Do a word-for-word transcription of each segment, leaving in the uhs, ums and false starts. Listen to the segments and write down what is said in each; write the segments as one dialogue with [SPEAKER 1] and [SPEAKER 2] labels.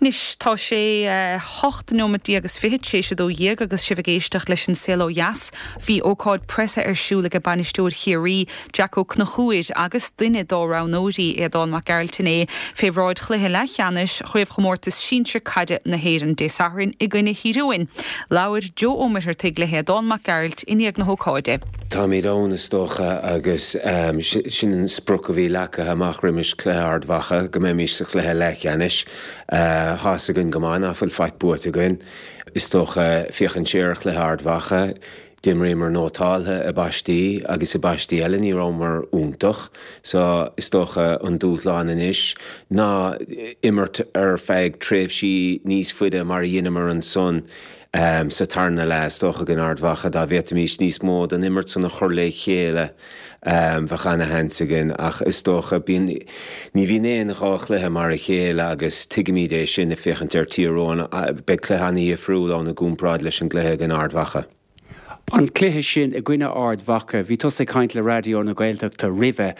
[SPEAKER 1] Anois tá sé hocht nóiméad déag agus fiche tar éis a dó dhéag agus sibh ag éisteacht leis an Saol Ó Dheas. Bhí ócáid preasa ar siúl ag bainisteoir Chiarraí Jack Ó Conchúir agus duine dá roghnóirí Aodán Mac Gearailt inné fé bhráid chluiche leathcheannais chraobhchomórtas sinsir caide na hÉireann Dé Sathairn i gcoinne Thír Eoghain. Labhair Joe Ó Muircheartaigh le hAodán Mac Gearailt i ndiaidh na hócáide.
[SPEAKER 2] Táimid ann is dócha agus um, sin an sprioc a bhí leagtha amach roimis cluiche Ard Mhacha go mbeimis sa chluiche leathcheannais. Uh, Tá a fhios againn go maith nach bhfuil faic buaite againn. Is dócha féachaint siar ar chluiche Ard Mhacha, D'imríomar nótáltha i bpaistí agus i bpaistí eile ní rabhamar iontach, so is dócha an dúshlán anois ná imirt ar feadh tréimhsí níos faide mar a dheineamar ansan um, sa tarna leath is dócha in Ard Mhacha dá bhféadfaimis níos mó den imirt san a chur le chéile um, bheadh an-sheans againn ach is dócha bíonn ní bhíonn aon dhá chluiche mar a chéile agus tuigimid é sin ag féachaint ar Thír Eoghain beidh cluiche an-difriúil ann i gcomparáid leis an gcluiche in Ard Mhacha.
[SPEAKER 3] An cluiche sin i gcoinne Ard Mhacha, bhí tusa ag caint le Raidió na Gaeltachta roimhe.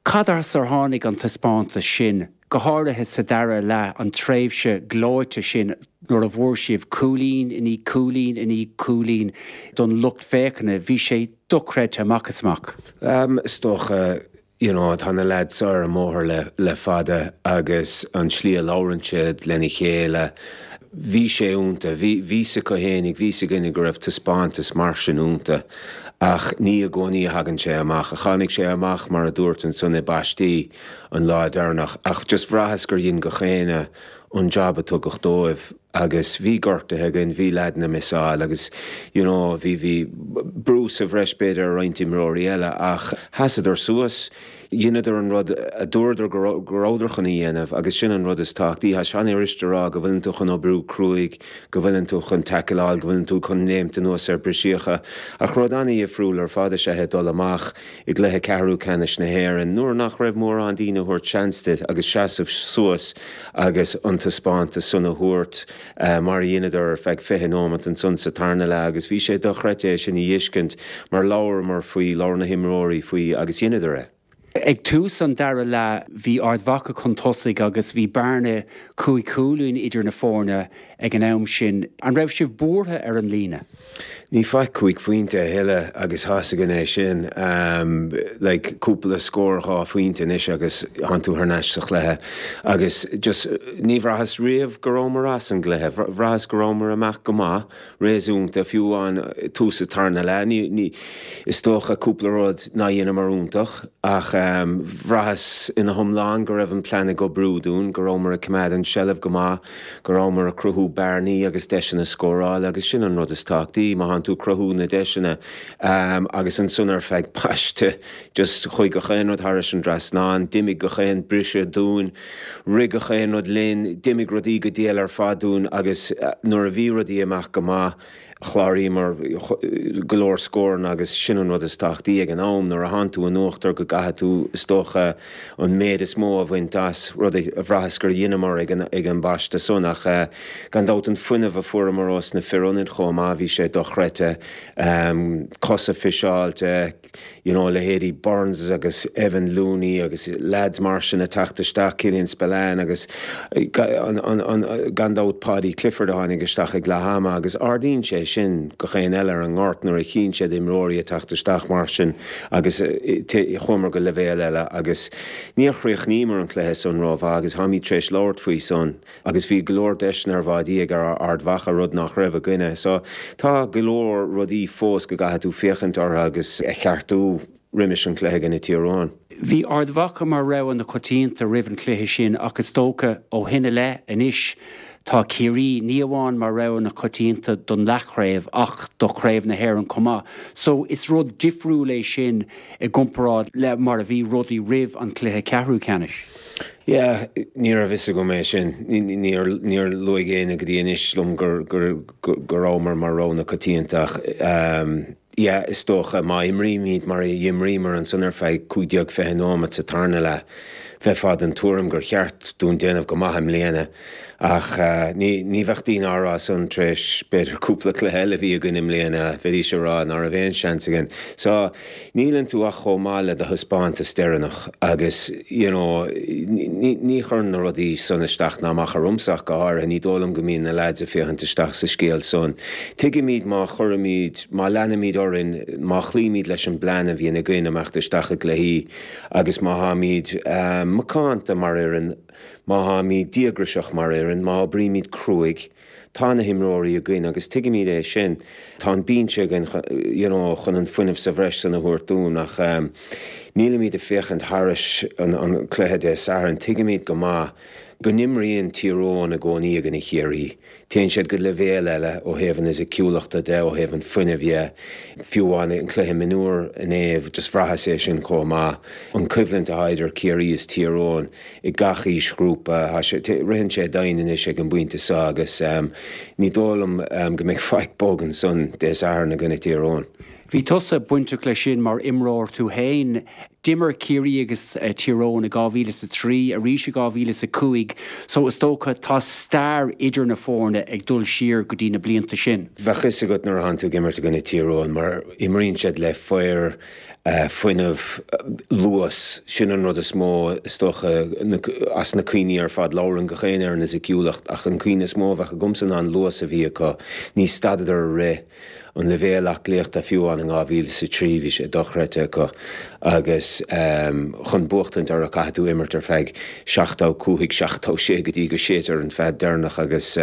[SPEAKER 3] Cad as ar tháinig an taispeántas sin, go háirithe sa dara leath an tréimhse gleoite sin nuair a bhfuair sibh cúilín i ndiaidh cúilín i ndiaidh cúilín don lucht féachana, bhí sé dochreidte amach is amach.
[SPEAKER 2] Um, is dócha you know, tá na lads ar an mbóthar le, le fada agus an tslí a labhrann siad lena chéile. Bhí sé iontach, bhí sa chohénig, bhí sa gine go raibh taispeántas mar sin iontach ach ní i gcónaí a thagann sé amach, a tháinig sé amach mar a dúirt ansan i bpaistí an lá deireanach, ach just bhraitheas gur dhein gach éinne an job a tugadh dóibh agus bhí gortuithe againn, bhí leaideanna ag missáil agus you know, bhí bhí brú sa bhreis b'fhéidir ar roinnt imreoirí eile ach sheasadar suas. Dheineadar an rud a dúradar go rabhadar chun a dhéanamh agus sin an rud is tábhachtaí Tá sé an-fhurasta a rá go bhfuileann tú chun oibriú cruaidh, go bhfuileann tú chun tacláil, go bhfuileann tú chun léimt anuas ar briseacha, ach rud an-difriúil ar fad is ea é dul amach i gcluiche ceathrú ceannais na hÉireann, nuair nach raibh mórán daoine ag tabhairt seans duit agus seasamh suas agus an taispeántas san a thabhairt uh, mar a dheineadar ar feadh fiche nóiméad ansan sa tarna leath agus bhí sé dochreidte é sin a fheiscint mar labhramar faoi labhair na himreoirí faoi agus dheineadar é.
[SPEAKER 3] Ag tús an dara leath bhí Ard Mhacha chun tosaigh agus bhí bearna cúig chúilín idir na foirne ag an am sin. An raibh sibh buartha ar an líne?
[SPEAKER 2] Ní faic cúig phointe a thuilleadh agus tá a fhios againn é sin um, like, cúpla scór dhá phointe anois agus tá tú thar n-ais sa chluiche agus just ní bhraitheas riamh go rabhamar as an gcluiche, bhraitheas go rabhamar amach go maith réasúnta fiú an tús an tarna leath ní, ní, is dócha cúpla rud nár dheineamar iontach ach um, bhraitheas ina hiomlán go raibh an plean ag oibriú dúinn, go rabhamar ag coimeád an seilbh go maith, go rabhamar ag cruthú bearnaí agus deiseanna scórála agus sin an rud is tábhachtaí má tá tú ag cruthú na deiseanna um, agus ansan ar feadh paiste just chuaigh gach aon rud thar an trasnán, d'imigh gach aon briseadh dúinn, rith gach aon rud linn, d'imigh rudaí go diail ar fad dúinn agus uh, nuair a bhí rudaí amach go maith chláraíomar go leor scóranna agus sin an rud is tábhachtaí ag an am nuair a thánn tú in uachtar go gcaithfidh tú is dócha an méid is mó a bhaint as rud a bhraitheas gur dheineamar ag an, ag an bpaiste san ach uh, gan dabht an fuinneamh a fuaireamar ós na fir ionaid chomh maith bhí sé dochreidte um, cosa fiseáilte you know, leithéidí Burns agus Evan Looney agus lads mar sin ag teacht isteach Killian Spillane agus an, an, an, gan dabht Paddy Clifford a tháinig isteach ag leath ama agus ardaíonn sé sin gach aon eile ar an ngort nuair a chíonn siad imreoirí ag teacht isteach mar sin agus chuamar go leibhéal eile agus níor chríochnaíomar an cluiche san rómhaith agus táimid tar éis labhairt faoi san agus bhí go leor deiseanna ar bháidí ag ar Ard Mhacha rud nach raibh againne. So tá go leor rudaí fós go gcaithfidh tú féachaint orthu agus a cheartú roimis an cluiche in Tír Eoghain.
[SPEAKER 3] Bhí Ard Mhacha mar rogha na coitianta roimh an cluiche sin agus dócha ó shin i leith anois tá Ciarraí ní amháin mar rogha na coitianta don leathchraobh ach do chraobh na hÉireann chomh maith. So is rud difriúil é sin i gcomparáid le mar a bhí rudaí roimh an cluiche ceathrú ceannais.
[SPEAKER 2] Yeah, ní raibh fhios agam é sin níor níor luaigh éinne go dtí anois liom gur gur go rabhamar mar rogha na coitianta ach um, yeah, is dócha má imrímid mar a d'imríomar ansan ar feadh cúig déag fiche nóiméad sa tarna leath. bheifeá den tuairim gur cheart dúinn déanamh go maith i mbliana ach ní ní bheadh daoine á rá san tar éis b'fhéidir cúpla cluiche eile a bhí againn i mbliana, bheidís ag rá ná raibh aon seans againn. So níleann tú ach chomh maith le do thaispeántas deireanach agus you know ní ní chuireann na rudaí san isteach ná amach ormsa ach go háirithe, ní dóigh liom go mbíonn na lads ag féachaint isteach sa scéal san. Tuigimid má chuirimid, má leanaimid orainn, má chloímid leis an bplean a bhíonn againn imeacht isteach i gcluichí agus má tháimid macánta mar fhoireann, má tháimid díograiseach mar fhoireann, má oibrímid cruaidh, tá na himreoirí againn agus tuigimid é sin. Tá an binse againn you know chun an fuinneamh sa bhreis san a thabhairt dúinn ach nílimid ag féachaint thairis an an cluiche Dé Sathairn. Tuigimid go maith go n-imríonn Tír Eoghain i gcónaí i gcoinne Chiarraí. Téann siad go leibhéal eile ó thaobh an fhisiciúlachta de, ó thaobh an fuinnimh dhe. Fiú amháin an cluiche mionúr inné, just bhraitheas é sin chomh maith. An choimhlint atá idir Ciarraí is Tír Eoghain i gach aoisghrúpa, tá sé, ritheann sé domhain anois ag an bpointe seo agus ní dóigh liom go mbeidh faic bog ansan Dé Sathairn i gcoinne Tír Eoghain.
[SPEAKER 3] Bhí tusa bainteach leis sin mar imreoir tú féin. D'imir Ciarraí agus Tír Eoghain i dhá mhíle is a trí, arís i dhá mhíle is a cúig, so is dócha tá stair idir na foirne ag dul siar go dtí na blianta sin.
[SPEAKER 2] Bheadh fhios agat nuair atánn tú ag imirt i gcoinne Tír Eoghain mar imríonn siad le fir, fuinneamh, luas, sin an rud is mó is dócha as na cuimhní ar fad. Labhrann gach éinne ar an fhisiciúlacht ach an cuimhne is mó a bheadh agamsa ná an luas a bhí acu. Ní stadadar ag rith. An leibhéal aclaíochta fiú amháin in dhá mhíle is a trí bhí sé dochreidte acu agus chun buachtaint orthu caithfidh tú imirt ar feadh seachtó cúig, seachtó sé go dtí go séidtear an fead deireanach agus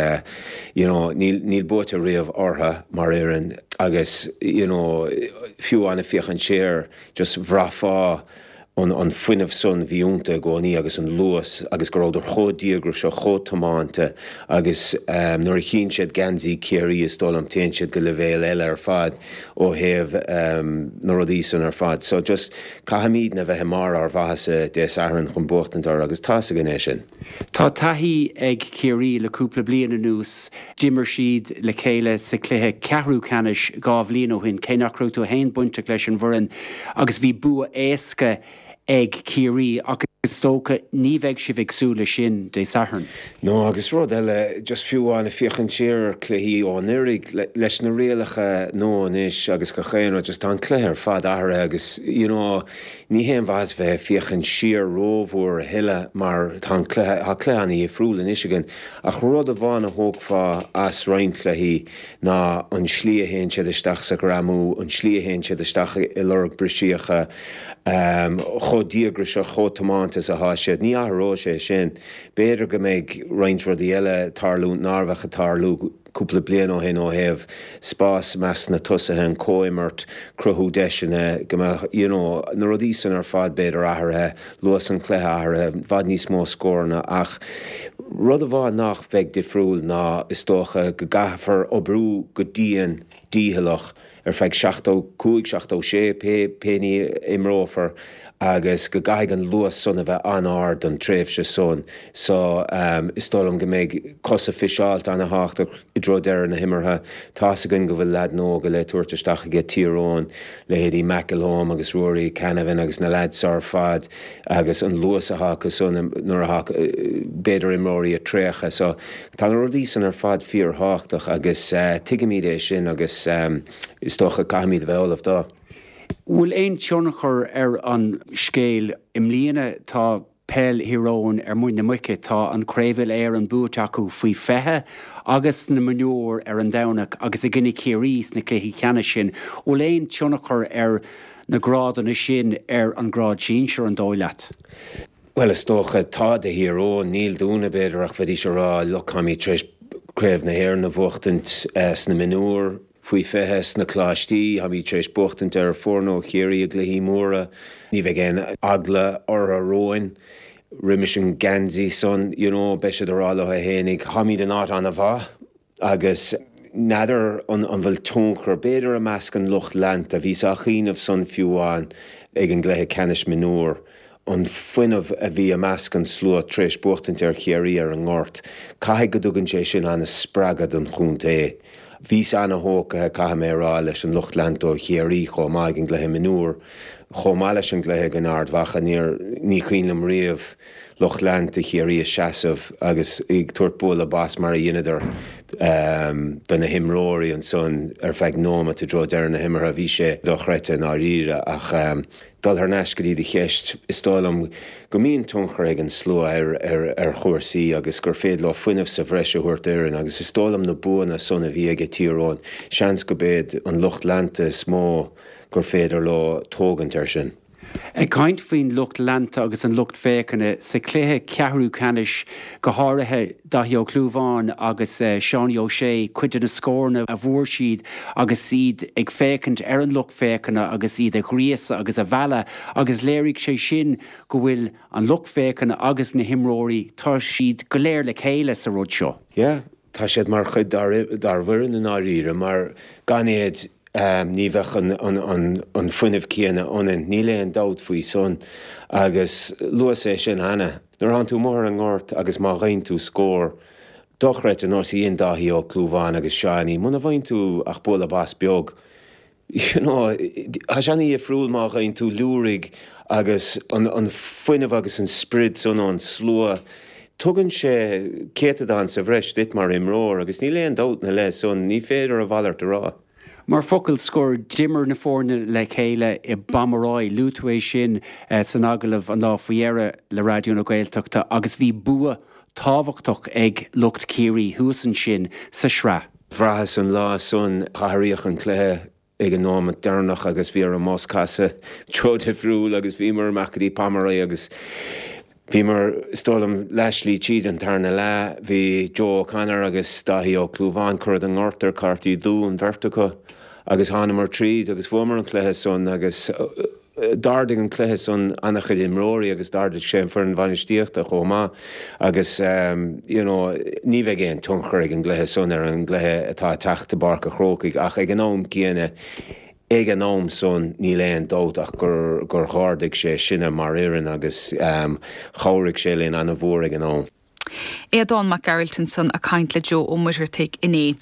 [SPEAKER 2] you know níl níl buaite riamh orthu mar fhoireann agus you know fiú amháin ag féachaint siar just bhraithfeá an an fuinneamh san bhí iontu i gcónaí agus an luas agus go rabhadar chomh díograiseach, chomh tiomanta agus nuair a chíonn siad geansaí Chiarraí is dóigh liom téann siad go leibhéal eile ar fad ó thaobh na rudaí san ar fad. So just caithfimidne bheith i mbarr ár mhaitheasa Dé Sathairn chun buachtaint orthu agus tá's againn é sin.
[SPEAKER 3] Tá taithí ag Ciarraí le cúpla bliain anuas. D'imir siad le chéile sa chluiche ceathrú ceannais dhá bhliain ó shin, cé nach raibh tú féin bainteach leis an bhfoireann, agus bhí bua éasca ag Ciarraí ach is dócha ní bheidh sibh ag súil leis sin Dé Sathairn.
[SPEAKER 2] No, agus rud eile, just fiú amháin ag féachaint siar ar chluichí ó anuraidh, leis na rialacha nua anois agus gach aon rud, just tá an cluiche ar fad athraithe agus, you know, ní haon mhaitheas bheith ag féachaint siar rómhór a thuilleadh mar tá an cluiche, tá cluiche an-dhifriúil anois againn. Ach rud amháin a thógfá as roinnt cluichí ná an slí a théann siad isteach sa ghreamú, an slí a théann siad isteach i lorg briseacha, chomh díograiseach, chomh tiomanta is atá siad. Ní athróidh sé sin. B'fhéidir go mbeidh roinnt rudaí eile ag tarlú nár bheadh ag tarlú cúpla bliain ó shin ó thaobh spás i measc na tosaithe, an comhimirt, cruthú deiseanna, go mbeadh, you know, na rudaí san ar fad b'fhéidir athraithe, luas an chluiche athraithe, i bhfad níos mó scóranna ach rud amháin nach bheidh difriúil ná is dócha go gcaithfear oibriú go dian dícheallach ar feadh seachtó cúig, seachtó sé, pé pé ní a imreofar agus go gcaithfidh an luas san a bheith an-ard don tréimhse san. So is dóigh liom go mbeidh cosa fiseáilte an-thábhachtach i dtreo deireadh na himeartha. Tá's againn go bhfuil leaideanna óga le tabhairt isteach aige Tír Eoghain, leithéidí McElholm agus Ruairí Canavan agus na leaids ar fad agus an luas atá acu san nuair atá b'fhéidir imreoirí ag traochadh. So tá na rudaí san ar fad fíorthábhachtach agus tuigimid é sin agus is dócha caithfimid a bheith ullamh dó.
[SPEAKER 3] Bhfuil aon tionchar ar an scéal i mbliana? Tá peil Thír Eoghain ar muin na muice, tá an Craobh Uile-Éireann buaite acu faoi fiche agus na mionúir ar an Domhnach agus i gcoinne Chiarraí sna cluichí ceannais sin. Bhfuil aon tionchar ar na grádanna sin ar an ngrád sinsir, an dóigh leat?
[SPEAKER 2] Bhuel, is dócha, tá do Thír Eoghain, níl dúinne, b'fhéidir, ach bheidís ag rá, look, táimid tar éis Craobh na hÉireann a bhuachtaint sna mionúir faoi fiche, sna coláistí, táimid tar éis buachtaint ar foirne ó Chiarraí i gcluichí móra, ní bheidh aon eagla orthu romhainn roimis an geansaí san, you know, beidh siad ag rá leo fhéinig, táimid in áit an-mhaith. Agus n'fheadar an bhfuil tionchar, b'fhéidir i measc an lucht leanta, bhíos á chuimhneamh san fiú amháin ag an gcluiche ceannais mionúr, an fuinneamh a bhí i measc an slua tar éis buachtaint ar Chiarraí ar an nGort, caithfidh go dtugann sé sin an-spreagadh don chontae. Bhíos ana-thógtha, caithfidh mé a rá, leis an lucht leanta ó Chiarraí chomh maith ag an gcluiche mionúr, chomh maith leis an gcluiche in Ard Mhacha. Níor, ní cuimhin liom riamh lucht leanta Chiarraí ag seasamh agus ag tabhairt bualadh bos mar a dheineadar do na himreoirí ansan ar feadh nóimeat i dtreo deireadh na himeartha. Bhí sé dochreidte i ndáiríre ach dul thar n-ais go dtí do cheist, is dóigh liom go mbíonn tionchar ag an slua ar ar ar chúrsaí agus gur féidir leo fuinneamh sa bhreis a thabhairt d'fhoireann agus is dóigh liom na buanna san a bhí aige Tír Eoghain, seans go b'iad an lucht leanta is mó gur féidir leo tógaint air sin.
[SPEAKER 3] Ag caint faoin lucht leanta agus an lucht féachana sa chluiche ceathrú ceannais, go háirithe Daithí Ó Clúmháin agus Seánie O'Shea, cuid de na scóranna a bhfuair siad agus iad ag féachaint ar an lucht féachana agus iad a ghríosadh agus a mhealladh agus léirigh sé sin go bhfuil an lucht féachana agus na himreoirí, tá siad go léir le chéile sa rud seo.
[SPEAKER 2] Yeah, tá siad mar chuid dár bhfoireann i ndáiríre mar gan iad ní bheadh an fuinneamh céanna ionainn, níl aon dabht faoi san. Agus luas é sin cheana. Nuair a thánn tú amuigh ar an ngort agus má gheibheann tú scór dochreidte ar nós a dhein Dáithí Ó Clúmháin agus Seánie, muna bhfaigheann tú ach bualadh bos beag, you know, tá sé ana-dhifriúil má gheibheann tú liúraigh agus an fuinneamh agus an sprid san ón slua, tugann sé céatadán sa bhreis duit mar imreoir agus níl aon dabht ina leith san, ní féidir a mhalairt a rá.
[SPEAKER 3] Mar focal scoir, d'imir na foirne le chéile i bPomeroy, luaigh tú é sin san agallamh an lá faoi dheireadh le Raidió na Gaeltachta agus bhí bua tábhachtach ag lucht Chiarraí thuas ansin sa sraith.
[SPEAKER 2] Bhraitheas an lá san, athraíodh an cluiche ag an nóimeat deireanach agus bhí ar an mbus casadh treo difriúil agus bhíomar amach go dtí Pomeroy agus bhíomar, is dóigh liom, leathshlí tríd an tarna leath. Bhí Joe O'Connor agus Dáithí Ó Clúmháin curtha den ngort ar cártaí dubha an bheirt acu agus thánamar tríd agus bhuamar an cluiche san agus d'ardaigh an cluiche san an-chuid imreoirí agus d'ardaigh sé an foireann bhainistíochta chomh maith agus you know ní bheidh aon tionchar ag an gcluiche san ar an gcluiche atá ag teacht i bPáirc a' Chrócaigh ach ag an am céanna ag an am san níl aon dabht ach gur gur dh'ardaigh sé sinne mar fhoireann agus chabhraigh sé linn an-mhór ag an am.
[SPEAKER 1] Aodán Mac Gearailt ansan ag caint le Joe Ó Muircheartaigh inné.